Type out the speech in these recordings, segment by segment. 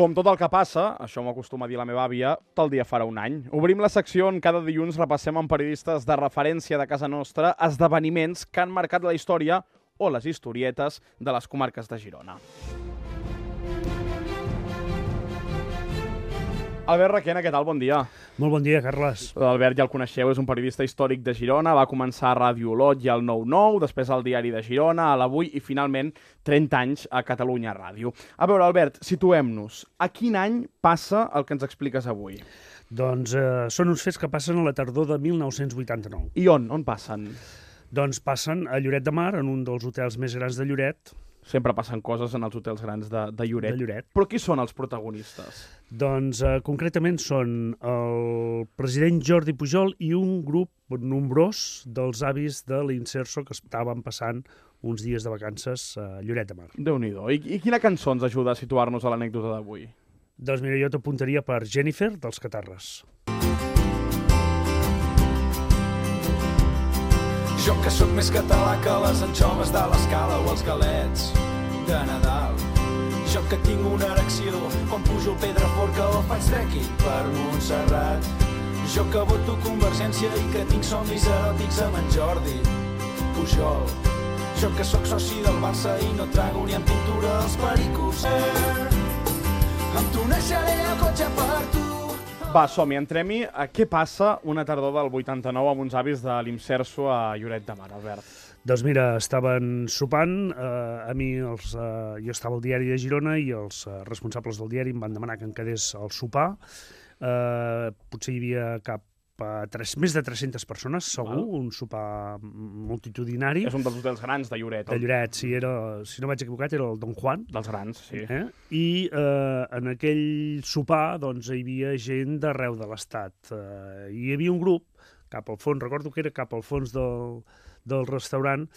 Com tot el que passa, això m'ho acostuma a dir la meva àvia, tal dia farà un any. Obrim la secció on cada dilluns repassem amb periodistes de referència de casa nostra esdeveniments que han marcat la història o les historietes de les comarques de Girona. Albert Requena, què tal? Bon dia. Molt bon dia, Carles. L'Albert ja el coneixeu, és un periodista històric de Girona, va començar a Ràdio Olot i al 9-9, després al Diari de Girona, a l'Avui i finalment 30 anys a Catalunya Ràdio. A veure, Albert, situem-nos. A quin any passa el que ens expliques avui? Doncs són uns fets que passen a la tardor de 1989. I on? On passen? Doncs passen a Lloret de Mar, en un dels hotels més grans de Lloret. Sempre passen coses en els hotels grans de Lloret. De Lloret. Però qui són els protagonistes? Doncs concretament són el president Jordi Pujol i un grup nombrós dels avis de l'Inserso que estaven passant uns dies de vacances a Lloret de Mar. Déu-n'hi-do. I quina cançó ens ajuda a situar-nos a l'anècdota d'avui? Doncs mira, jo t'apuntaria per Jennifer, dels Catarres. Jo que sóc més català que les anxoves de l'Escala o els galets de Nadal. Jo que tinc una erecció quan pujo el Pedraforca o faig trekking per Montserrat. Jo que voto Convergència i que tinc somnis eròtics amb en Jordi Pujol. Jo que sóc soci del Barça i no trago ni en pintura els pericos. Amb tu naixeré el cotxe per tu. Va, som-hi, entrem-hi. Què passa una tardor del 89 amb uns avis de l'Inserso a Lloret de Mar, Albert? Doncs mira, estaven sopant, jo estava al Diari de Girona i els responsables del diari em van demanar que em quedés al sopar. Potser hi havia més de 300 persones, segur, un sopar multitudinari. És un dels hotels grans de Lloret. De Lloret, sí, si no vaig equivocat, era el Don Juan. Dels grans, sí. I en aquell sopar doncs, hi havia gent d'arreu de l'Estat. Hi havia un grup, cap al fons, recordo que era cap al fons del restaurant,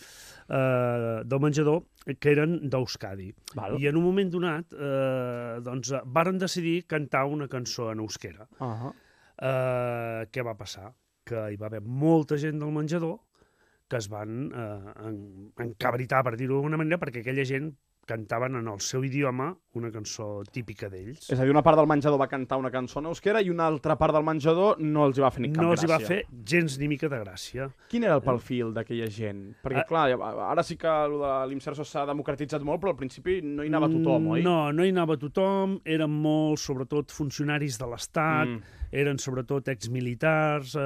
del menjador, que eren d'Euskadi. I en un moment donat varen decidir cantar una cançó en euskera. Què va passar? Que hi va haver molta gent del menjador que es van encabritar, per dir-ho d'alguna manera, perquè aquella gent cantaven en el seu idioma una cançó típica d'ells. És a dir, una part del menjador va cantar una cançó en euskera i una altra part del menjador no els hi va fer ni cap gràcia. No els hi va fer gens ni mica de gràcia. Quin era el perfil d'aquella gent? Perquè, clar, ara sí que l'Inserso s'ha democratitzat molt, però al principi no hi anava tothom, oi? No hi anava tothom, eren molts, sobretot, funcionaris de l'Estat, eren sobretot exmilitars,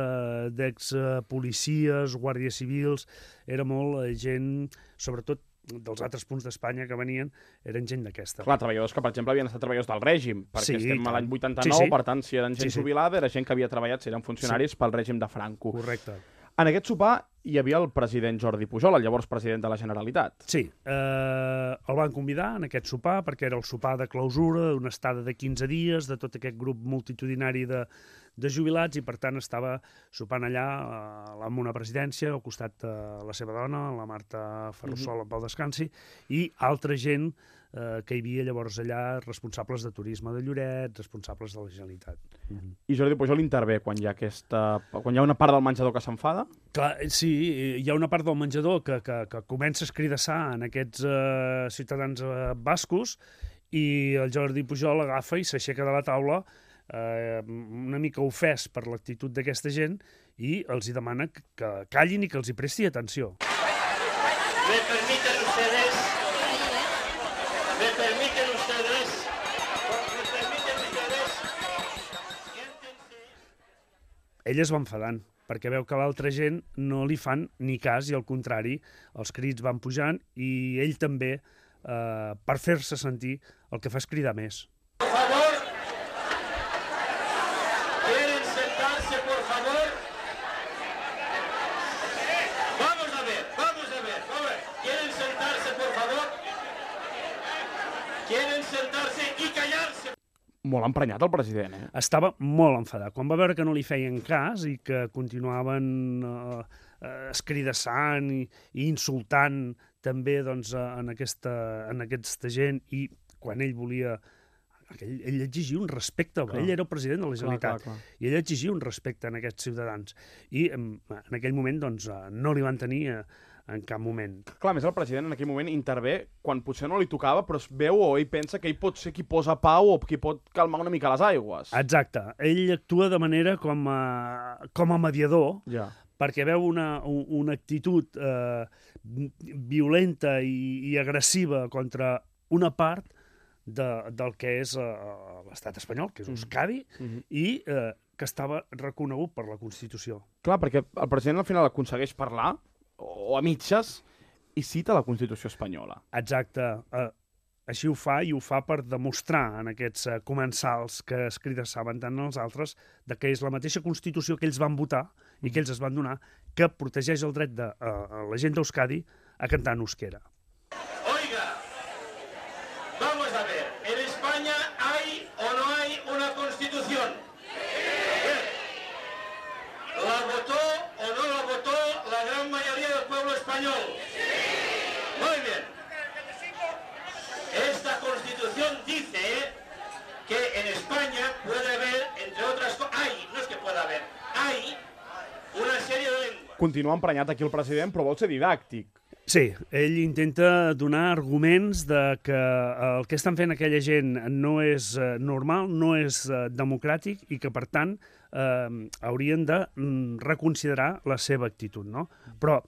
d'expolicies, guàrdies civils, era molt gent, sobretot, dels altres punts d'Espanya que venien, eren gent d'aquesta. Clar, treballadors que, per exemple, havien estat treballadors del règim, perquè estem a l'any 89, per tant, si eren gent jubilada, era gent que havia treballat, si eren funcionaris pel règim de Franco. Correcte. En aquest sopar hi havia el president Jordi Pujol, el llavors president de la Generalitat. Sí, el van convidar en aquest sopar, perquè era el sopar de clausura, una estada de 15 dies, de tot aquest grup multitudinari de jubilats, i per tant estava sopant allà amb una presidència, al costat de la seva dona, la Marta Ferrusola, pel descansi, i altra gent que hi havia llavors allà, responsables de turisme de Lloret, responsables de la Generalitat. I Jordi Pujol intervé quan hi ha una part del menjador que s'enfada? Clar, sí, hi ha una part del menjador que comença a escridassar en aquests ciutadans bascos, i el Jordi Pujol agafa i s'aixeca de la taula una mica ofès per l'actitud d'aquesta gent i els hi demana que callin i que els hi presti atenció. ¿Me permiten ustedes? Ell es va enfadant, perquè veu que l'altra gent no li fan ni cas, i al contrari, els crits van pujant, i ell també, per fer-se sentir, el que fa és cridar més. Por favor, ¿quieren sentarse, por favor? Vamos a ver, ¿quieren sentarse, por favor? ¿Quieren sentarse y callarse? Molt emprenyat el president, Estava molt enfadat. Quan va veure que no li feien cas i que continuaven escridassant i insultant també en aquesta gent, i quan ell volia... Ell exigia un respecte, ell era el president de la Generalitat, i ell exigia un respecte en aquests ciutadans. I en aquell moment no li van tenir en cap moment. Clar, a més el president en aquell moment intervé quan potser no li tocava, però es veu o ell pensa que ell pot ser qui posa pau o qui pot calmar una mica les aigües. Exacte. Ell actua de manera com a mediador, Ja. perquè veu una actitud violenta i agressiva contra una part del que és l'estat espanyol, que és Euskadi, i que estava reconegut per la Constitució. Clar, perquè el president al final aconsegueix parlar, o a mitges, i cita la Constitució espanyola. Exacte. Així ho fa, i ho fa per demostrar en aquests comensals que es cridassaven tant als altres de que és la mateixa Constitució que ells van votar i que ells es van donar, que protegeix el dret de la gent d'Euskadi a cantar en euskera. Oiga, vamos a ver, ¿en España hay o no hay una constitución? Bien. ¿La votó o no la votó la gran mayoría del pueblo español? Muy bien. Esta constitución dice que en España puede haber, entre otras cosas, no es que pueda haber, hay una serie de lenguas. Continua emprenyat aquí el president, però vol ser didàctic. Sí, ell intenta donar arguments de que el que estan fent aquella gent no és normal, no és democràtic i que, per tant, haurien de reconsiderar la seva actitud, no? Però,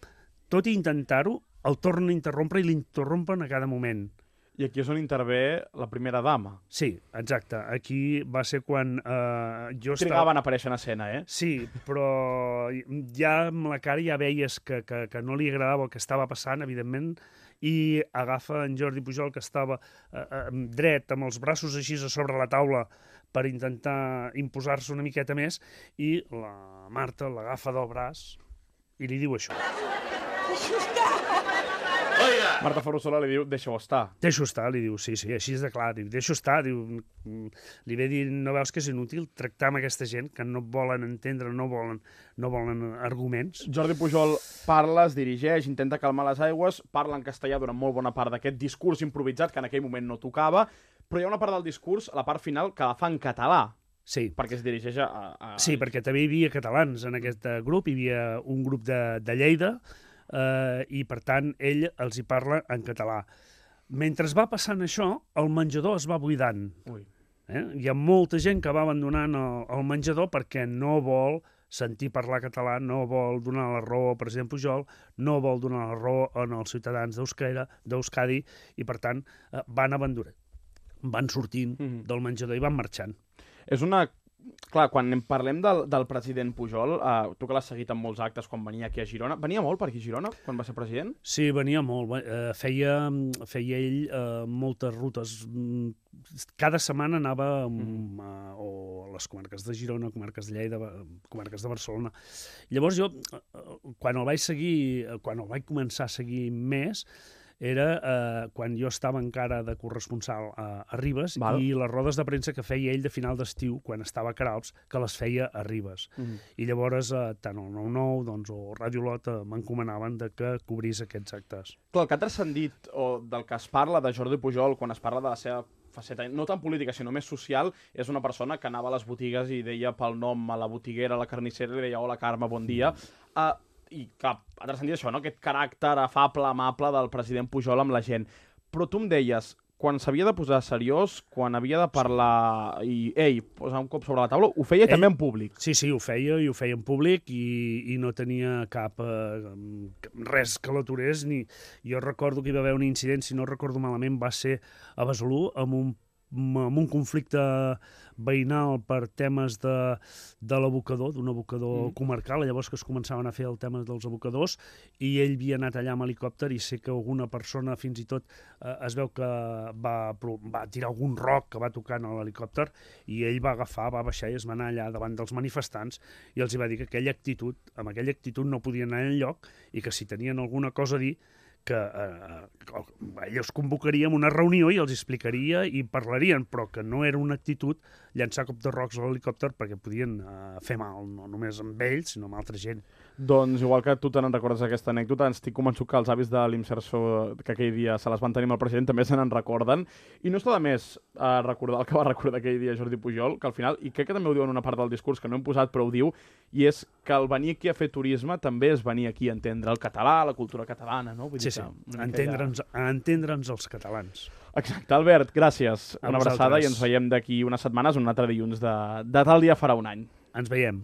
tot i intentar-ho, el tornen a interrompre i l'interrompen a cada moment. I aquí és on intervé la primera dama. Sí, exacte. Aquí va ser quan jo estava... Trigaven a aparèixer en escena, eh? Sí, però ja amb la cara ja veies que no li agradava el que estava passant, evidentment, i agafa en Jordi Pujol, que estava dret, amb els braços així a sobre la taula, per intentar imposar-se una miqueta més, i la Marta l'agafa del braç i li diu això. Oiga, Marta Ferrusola li diu, deixa-ho estar. Deixo estar, li diu, sí, així és de clar, diu, deixo estar, diu, li ve dir, no veus que és inútil tractar amb aquesta gent que no volen entendre, no volen arguments? Jordi Pujol parla, es dirigeix, intenta calmar les aigües, parla en castellà durant molt bona part d'aquest discurs improvisat que en aquell moment no tocava, però hi ha una part del discurs, a la part final, que la fa en català, Sí, perquè es dirigeix a... sí, perquè també hi havia catalans en aquest grup, hi havia un grup de Lleida, i per tant ell els hi parla en català. Mentre va passant això, el menjador es va buidant. Ui. Hi ha molta gent que va abandonant el menjador perquè no vol sentir parlar català, no vol donar la raó al president Pujol, no vol donar la raó als ciutadans d'Euskadi i per tant van abandonant, van sortint del menjador i van marxant. És una... Clar, quan parlem del president Pujol, tu que l'has seguit en molts actes quan venia aquí a Girona, venia molt per aquí a Girona quan va ser president? Sí, venia molt. Feia ell moltes rutes. Cada setmana anava o a les comarques de Girona, comarques de Lleida, comarques de Barcelona. Llavors jo, quan el vaig començar a seguir més, era quan jo estava encara de corresponsal a Ribes. Val. I les rodes de premsa que feia ell de final d'estiu, quan estava a Queralbs, que les feia a Ribes. I llavors tant el 9-9 doncs, o Ràdio Lot m'encomanaven que cobrís aquests actes. Clar, el que ha transcendit o del que es parla de Jordi Pujol quan es parla de la seva faceta, no tan política, sinó més social, és una persona que anava a les botigues i deia pel nom a la botiguera, a la carnissera, i li deia hola Carme, bon dia. I clar, ha transcendit això, no? Aquest caràcter afable, amable del president Pujol amb la gent. Però tu em deies, quan s'havia de posar seriós, quan havia de parlar i, posar un cop sobre la taula, ho feia també en públic. Sí, ho feia, i ho feia en públic i no tenia res que l'aturés. Jo recordo que hi va haver un incident, si no recordo malament, va ser a Besalú, amb un conflicte veïnal per temes de l'abocador, d'un abocador comarcal, llavors que es començaven a fer el tema dels abocadors, i ell havia anat allà amb helicòpter i sé que alguna persona fins i tot es veu que va tirar algun roc que va tocar en l'helicòpter i ell va baixar i es va anar allà davant dels manifestants i els hi va dir que amb aquella actitud no podien anar enlloc i que si tenien alguna cosa a dir que ells convocaríem una reunió i els explicaria i parlarien, però que no era una actitud llançar cop de rocs a l'helicòpter perquè podien fer mal, no només amb ells, sinó amb altra gent. Doncs, igual que tu te n'en recordes aquesta anècdota, estic convençut que els avis de l'Imserso, que aquell dia se les van tenir amb el president, també se n'en recorden. I no està de més recordar el que va recordar aquell dia Jordi Pujol, que al final, i crec que també ho diu en una part del discurs, que no hem posat, però ho diu, i és que el venir aquí a fer turisme també és venir aquí a entendre el català, la cultura catalana, no? Vull dir entendre'ns els catalans. Exacte, Albert, gràcies. Una abraçada i ens vosaltres. veiem d'aquí unes setmanes, un altre dilluns de tal dia farà un any. Ens veiem.